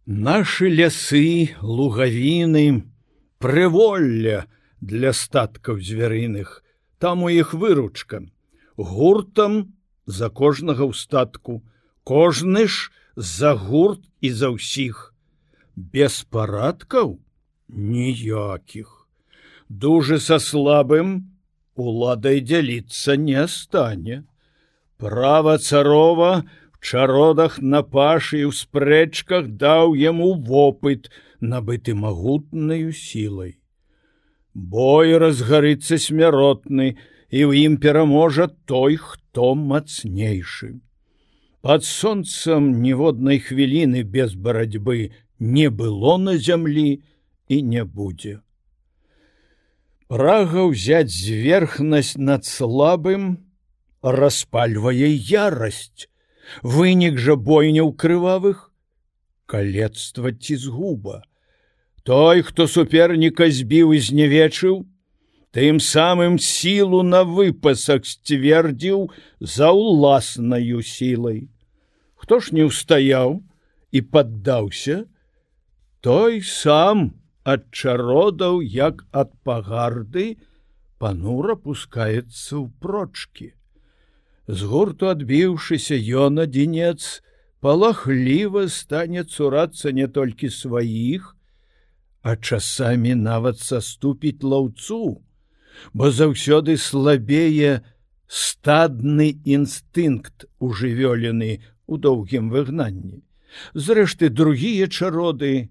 Нашы лясы, лугавіны, прыволля для статкаў звярыных, там у іх выручка. Гуртам за кожнага ў статку, кожны ж за гурт і за ўсіх. Без парадкаў ніякіх. Дужы са слабым уладай дзяліцца не стане. Права царова в чародах на пашы і ў спрэчках даў яму вопыт, набыты магутнаю сілай. Бой разгарыцца смяротны, і ў ім пераможа той, хто мацнейшы. Пад сонцам ніводнай хвіліны без барацьбы не было на зямлі і не будзе. Прага ўзяць зверхнасць над слабым распальвае ярасць. Вынік жа бойняў крывавых — калецтва ці згуба. Той, хто суперніка збіў і знявечыў, тым самым сілу на выпасах сцвердзіў за ўласнаю сілай. Хто ж не ўстаяў і паддаўся, той сам ад чародаў, як ад пагарды, панура пускаецца ў прочкі. З гурту адбіўшыся, ён адзінец палахліва стане цурацца не толькі сваіх, а часамі нават саступіць лаўцу, бо заўсёды слабее стадны інстынкт ужывёлены ў доўгім выгнанні. Зрэшты, другія чароды,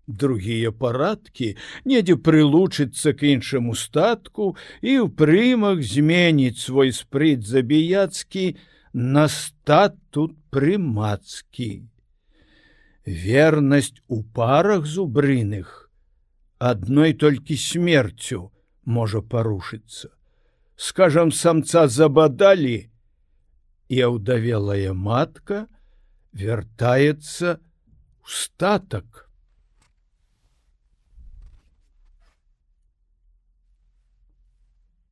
другія парадкі, недзе прылучыцца к іншаму статку і ў прымах зменіць свой спрыт забіяцкі на статут прымацкі. Вернасць у парах зубрыных адной толькі смерцю можа парушыцца. Скажам, самца забадалі, і аўдавелая матка вяртаецца ў статак.